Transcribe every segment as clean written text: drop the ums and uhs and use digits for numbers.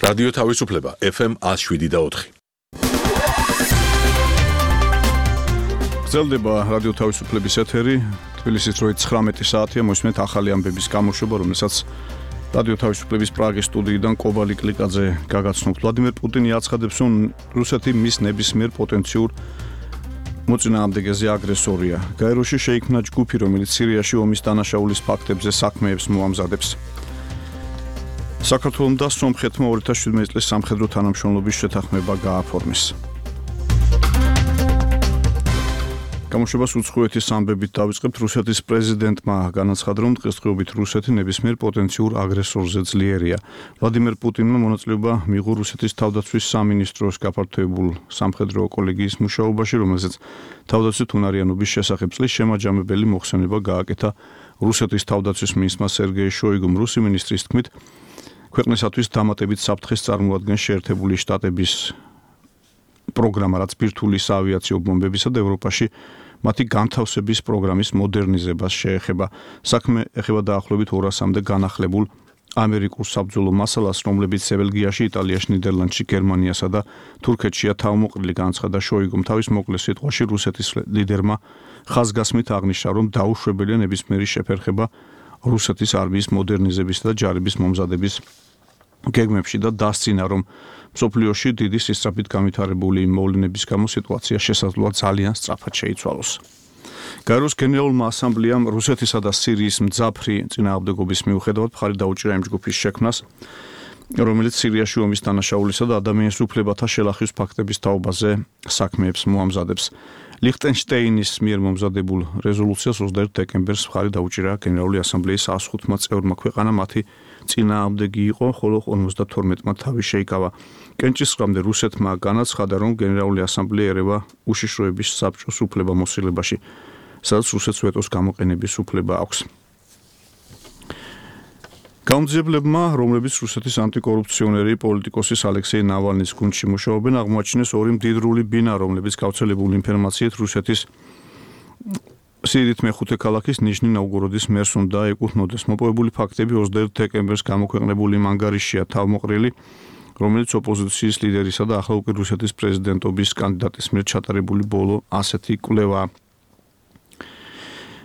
რადიო თავისუფლება FM 107.4. გრძელდება რადიო თავისუფლების ეთერი. თბილისის დროით 19 საათია. მოისმენთ ახალი ამბების გამოშვება, რომელსაც რადიო თავისუფლების პრაღის სტუდიიდან კობა ლიკლიკაძე გაგაცნობთ. ვლადიმერ პუტინი აცხადებს, რომ რუსეთი მის ნებისმიერ პოტენციურ მოწინააღმდეგეზე აგრესორია. გაეროში შეიქმნა ჯგუფი, რომელიც სირიაში ომის დანაშაულის ფაქტებზე საქმეებს მოამზადებს. საქართველომ და სომხეთმა 2017 წლის სამხედრო თანამშრომლობის შეთანხმება გააფორმეს. გამოშვებას უცხოეთის ამბებით დავიწყებთ. რუსეთის პრეზიდენტმა განაცხადა, რომ დღესდღეობით რუსეთი ნებისმიერ პოტენციურ აგრესორზე ძლიერია. ვლადიმერ პუტინმა მონაწილეობა მიიღო რუსეთის თავდაცვის სამინისტროს გაფართოებულ სამხედრო კოლეგიის მუშაობაში, რომელზეც თავდაცვით უნარიანობის შესახებ წლის შემაჯამებელი მოხსენება გააკეთა რუსეთის თავდაცვის მინისტრმა სერგეი შოიგუმ. რუსი მინისტრის თქმით, ქვეყნისათვის დამატებით საფრთხეს წარმოადგენს შეერთებული შტატების პროგრამა, რაც ბირთვული საავიაციო ბომბებისა და ევროპაში მათი განთავსების პროგრამის მოდერნიზებას შეეხება. საქმე ეხება დაახლოებით 200-მდე განახლებულ ამერიკულ საბრძოლო მასალას, რომლებიც ბელგიაში, იტალიაში, ნიდერლანდში, გერმანიასა და თურქეთშია თავმოყრილი, განაცხადა შოიგუმ. თავის მოკლე სიტყვაში რუსეთის ლიდერმა ხაზგასმით აღნიშნა, რომ დაუშვებელია ნებისმიერი შეფერხება რუსეთის არმიის მოდერნიზებისა და ჯარების მომზადების გეგმებში და დასცინა, რომ მსოფლიოში დიდი სისწრაფით განვითარებული მოვლენების გამო სიტუაცია შესაძლოა ძალიან სწრაფად შეიცვალოს. გაეროს გენერალურმა ასამბლეამ რუსეთისა და სირიის მძაფრი წინააღმდეგობის მიუხედავად მხარი დაუჭირა იმ ჯგუფის შექმნას, რომელიც სირიაში ომის დანაშაულისა და ადამიანის უფლებათა შელახვის ფაქტების თაობაზე საქმეებს მოამზადებს. ლიხტენშტეინის მიერ მომზადებულ რეზოლუციას 21 დეკემბერს მხარი დაუჭირა გენერალური ასამბლეის 105-მა წევრმა. ქვეყანა მათი წინააღმდეგი იყო, ხოლო 52-მა თავი შეიკავა. კენჭისყრამდე რუსეთმა განაცხადა, რომ გენერალური ასამბლეა ერევა უშიშროების საბჭოს უფლებამოსილებაში, სადაც რუსეთს ვეტოს გამოყენების უფლება აქვს. გამძიებლებმა, რომლებიც რუსეთის ანტიკორუფციონერი პოლიტიკოსის ალექსეი ნავალნის გუნდში მუშაობენ, აღმოაჩინეს ორი მდიდრული ბინა, რომლებიც გავრცელებული ინფორმაციით რუსეთის სიდიდით მეხუთე ქალაქის ნიჟნი-ნოვგოროდის მერს უნდა ეკუთვნოდეს. მოპოვებული ფაქტები 21 დეკემბერს გამოქვეყნებული მანგარიშია თავმოყრილი, რომელიც ოპოზიციის ლიდერისა და ახლა უკვე რუსეთის პრეზიდენტობის კანდიდატის მიერ ჩატარებული ბოლო ასეთი კვლევაა.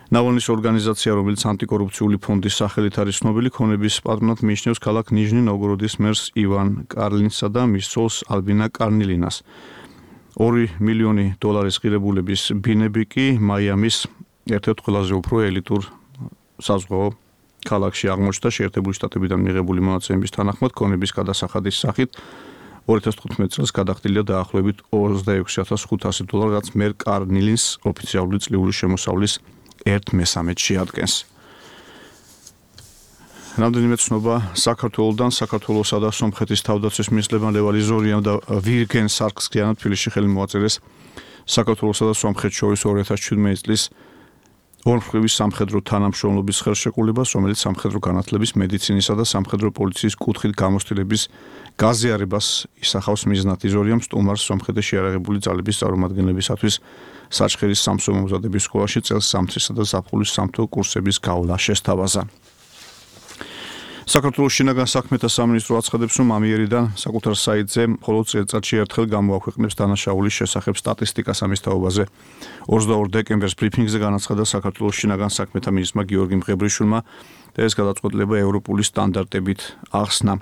ნავალნის ორგანიზაცია, რომელიც ანტიკორუფციული ფონდის სახელით არის ცნობილი, ქონების პატრონად მიიჩნევს ქალაქ ნიჟნი-ნოვგოროდის მერს ივან კარლინსა და მის ცოლს ალბინა კარნილინას. $2 მილიონი ღირებულების ბინები კი მაიამის ერთ-ერთ ყველაზე უფრო ელიტურ საზღვაო ქალაქში აღმოჩნდა. შეერთებული შტატებიდან მიღებული მონაცემების თანახმად, ქონების გადასახადის სახით 2015 წელს გადახდილია დაახლოებით $26,500, რაც მერ კარნილინს ოფიციალური წლიური შემოსავლის 1/3 შეადგენს. რამდენიმე ცნობა საქართველოსთან. საქართველოსა და სომხეთის თავდაცვის მინისტრებმა ლევალი ზორიამ და ვირგენ სარქსკიანმა თბილისში ხელი მოაწერეს საქართველოსა და სომხეთს შორის 2017 წლის ორმხრივი სამხედრო თანამშრომლობის ხელშეკრულებას, რომელიც სამხედრო განათლების, მედიცინისა და სამხედრო პოლიციის კუთხით გამოცდილების გაზიარებას ისახავს მიზნად. ზორიამ სტუმარს სომხეთის შეიარაღებული ძალების წარმომადგენლებისათვის საჩხერის სამსო მომზადების სკოლაში წელს სამთრისა და ზაფხულის სამთო კურსების გავლა შესთავაზა. საქართველოს შინაგან საქმეთა სამინისტრო აცხადებს, რომ ამიერიდან საკუთარ საიტზე მხოლოდ წელიწადში ერთხელ გამოაქვეყნებს დანაშაულის შესახებ სტატისტიკას. ამის თაობაზე 22 დეკემბერს ბრიფინგზე განაცხადა საქართველოს შინაგან საქმეთა მინისტრმა გიორგი მღებრიშვილმა და ეს გადაწყვეტილება ევროპული სტანდარტებით ახსნა.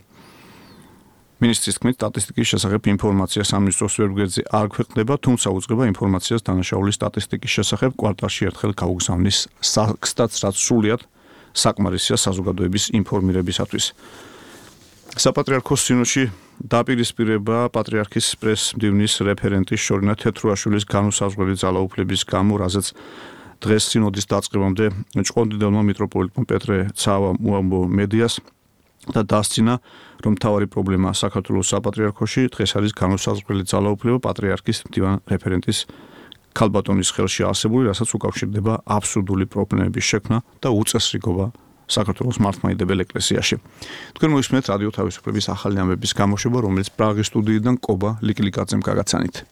მინისტრის თქმით, სტატისტიკის შესახებ ინფორმაცია სამინისტროს ვებგვერდზე არ ქვეყნდება, თუმცა უწყება ინფორმაციას დანაშაულის სტატისტიკის შესახებ კვარტალში ერთხელ გაუგზავნის საქმესაც, რაც სრულიად საკმარისია საზოგადოების ინფორმირებისათვის. საპატრიარქოს სინოდში დაპირისპირება პატრიარქის პრეს-მდივნის რეფერენტის შორინა თეთრუაშვილის განუსაზღვრელი ძალაუფლების გამო, რაზეც დღეს სინოდის დაწყებამდე ჭყონდიდელმა მიტროპოლიტმა პეტრე ცავამ უამბო მედიას და დასცინა, რომ მთავარი პრობლემა საქართველოს საპატრიარქოში დღეს არის განუსაზღვრელი ძალაუფლება პატრიარქის მდივან რეფერენტის ქალბატონის ხელში არსებული, რასაც უკავშირდება აბსურდული პრობლემების შექმნა და უწესრიგობა საქართველოს მართლმადიდებელ ეკლესიაში. თქვენ მოისმენთ რადიო თავისუფლების ახალი ამბების გამოშვება, რომელიც პრაღის სტუდიიდან კობა ლიკლიკაძემ გაგაცანით.